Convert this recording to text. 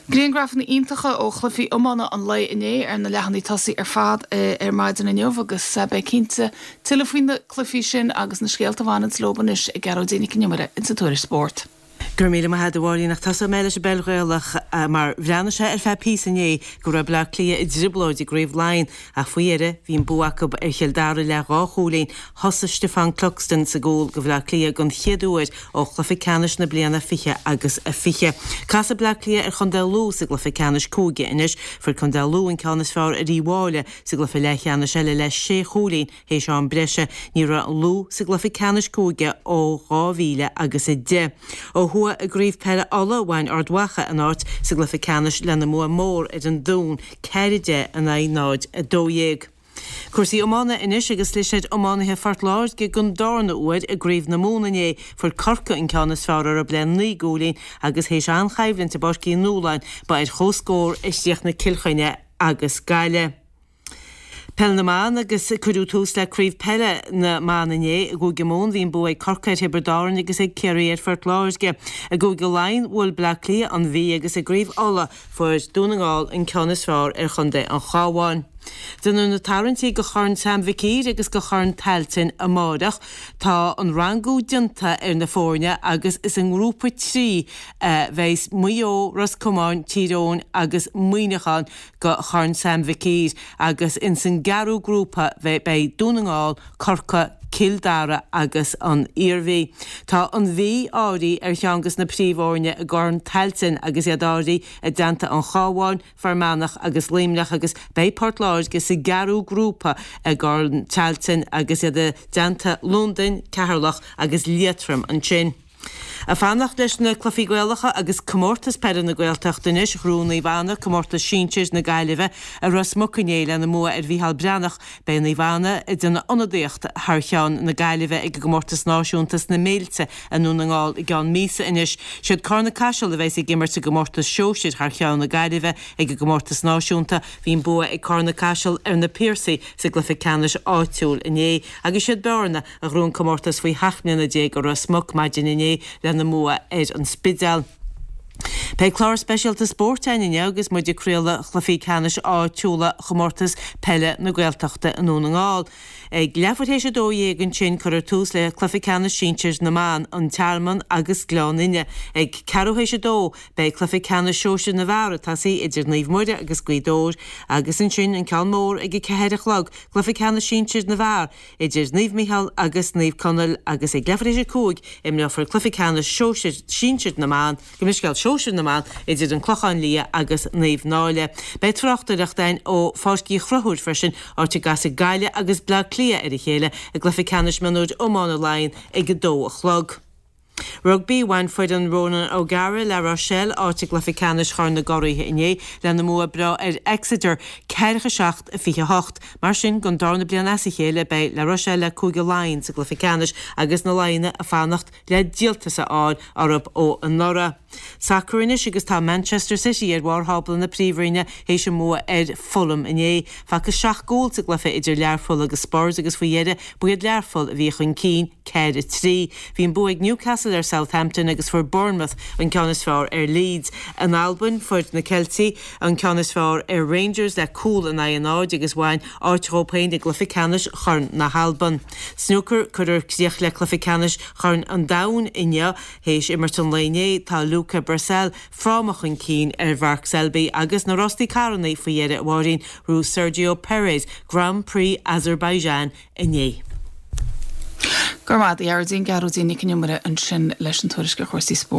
Griangrafanna iontacha ó chluichí iomána an lae inné ar na leathanaigh tosaigh ar fad ar maidin inniu agus beidh cinnte tuilleadh faoi na cluichí sin agus na scéalta a bhaineanns leo anois ag Gearóidín Nic Con Iomaire insa Tuairisc Spóirt. Go raibh míle maith agat a Mháirín ach tosóidh mé leis an bpeil Ghaelach mar bhreathnaigh sé ar feadh píosa inné go raibh Bleá Cliath i dtrioblóid i gCraobh Laighean ach faoi dheireadh bhí an bua acu ar Chill Dara le dhá chúilín. Thosaigh Stefan Cluxton sa gcúl do Bhleá Cliath don chéad uair ó chluiche ceannais na bliana 20 agus 20. Casfaidh Bleá Cliath ar Chontae Lú sa gcluiche ceannais cúige anois. Fuair Contae Lú an ceann is fearr ar Uíbh Fhailí sa gcluiche leathcheannais eile le sé chúilín Théis am breise, ní raibh Lú sa gcluiche ceannais cúige ó 2000 agus 10. Ó thuaidh i gCraobh Peile Uladh, bhain Ard Mhacha a n-áit sa gcluiche ceannais lena mbua mór ar an Dún, 4, 10 in aghaidh 0, 12. Cúrsaí iomána anois agus chlis ar iománaithe Phort Láirge den darna huair i gCraobh na Mumhan inné. Fuair Corcaigh an ceann is fearr orthu le 9 gcúilín agus théis an-choimhlint i bPáirc Uí Nualláin, ba ar comhscór a chríochnaigh Cill Chainnigh agus Gaillimh. Peil na mBan agus cuireadh tús le Craobh Peile na mBan inné i gCúige Mumhan. Bhí an bua ag Corcaigh ar Thiobraid Árann agus ag Ciarraí ar Phort Láirge. I gCúige Laighean bhuail Bleá Cliath an Mhí agus i gCraobh Uladh fuair Dún na nGall an ceann is fearr ar Chontae an Chabháin. Déanfar na tarraingtí do Chorn Sam Mhic Uidhir agus do Chorn Tailteann amáireach. Tá an rangú déanta ar na foirne agus is i ngrúpa 3 a bheas Maigh Eo, Ros Comáin, Tír Eoghain agus Muineachán. go Chorn Sam Mhic Uidhir agus ins an gceathrú grúpa beidh Dún na nGall, Corcaigh, Cill Dara agus an Iarmhí. Tá an Mhí áirithe ar cheann des na príomhfhoirne i gCorn Tailteann agus iad áirithe i dteannta an Chabháin, Fear Manach agus Luimneach agus beidh Port Láirge sa gceathrú grúpa i gCorn Tailteann agus iad i dteannta Londain, Ceatharlach agus Liatroim ansin. Ag fanacht leis na cluichí Gaelacha agus Comórtas Peile na Gaeltachta anois, ghnóthaigh Naomh Anna Comórtas Sinsir na Gaillimhe i Ros Muc inné lena mbua ar Mhícheál Breathnach. Beidh Naomh Anna ag déanamh ionadaíocht thar cheann na Gaillimhe ag an gComórtas Náisiúnta sna Méilte i nDún na nGall i gceann míosa anois. Siad Carna Caiseal a bheas ag imirt sa gComórtas Sóisir thar cheann na Gaillimhe ag an gComórtas Náisiúnta. Bhí an bua ag Carna Caiseal ar na Piarsaigh sa gcluiche ceannais áitiúil inné agus siad Bearna a ghnóthaigh an comórtas faoi sheacht mbliana déag i Ros Muc maidin inné lena mbua ar an Spidéal. Beidh clár speisialta spóirt againn inniu agus muid ag craoladh chluichí ceannais áitiúla Chomórtas Peile na Gaeltachta i nDún na nGall. Ag leathuair théis 12 ansin cuirfear tús le cluiche ceannais sinsir na mban, An Tearmann agus Gleann Fhinne. Ag ceathrú théis 2 beidh cluiche ceannais sóisir na bhfear ag tosaí idir Naomh Muire agus Gaoth Dobhair agus ansin an ceann mór ag a ceathair a chlog, cluiche ceannais sinsir na bhfear idir Naomh Micheál agus Naomh Conaill agus ag leathuair théis 5 imreofar cluiche ceannais sóisir sinsir na mban, gabh mo leithscéal, sóisir na mban idir An Clochán Liath agus Naomh Náille. Beidh tráchtaireacht againn ó Pháirc Uí Chonchúir freisin, áit a gcasfaidh Gaillimh agus Bleá Cliath ar a chéile i gcluiche ceannais mionúir iomána Laighean ag 2 a chlog. Rugbaí, Bhain foireann Ronan O'Gara, La Rochelle, áit i gcluiche ceannais Chorn na gCuraithe inné lena mbua breá ar Exeter, 47, 28. Mar sin, don darna bliain as a chéile, beidh La Rochelle le Cúige Laighean sa gcluiche ceannais agus na Laighnigh ag fanacht le díoltas a fháil orthu ó anuraidh. Sacar anois agus tá Manchester City ar bharr thábla na Príomhroinne théis a mbua ar Fulham inné. Facthas seacht gcúl sa gcluiche idir Learpholl agus Spurs agus faoi dheireadh ba iad Learpholl a bhí chun cinn. 4, 3. Bhí an bua ag Newcastle ar Southampton agus fuair Bournemouth an ceann is fearr ar Leeds. In Albain, fuair na Ceiltigh an ceann is fearr ar Rangers le cúl in aghaidh a náid agus bhain áit dhóibh féin i gcluiche ceannais Chorn na hAlban. Snúcar, Cuirfear críoch le cluiche ceannais Chorn an Domhain inniu. Théis imirt an lae inné, tá Luca Brecel fráma chun cinn ar Mark Selby agus na rostaí carranna faoi dheireadh, a Mháirín, ghnóthaigh Sergio Perez Grand Prix Azerbaijan inné. Go raibh maith agat, a Ghearóidín, Gearóidín Nic Con Iomaire ansin leis an tuairisc ar chúrsaí spóirt.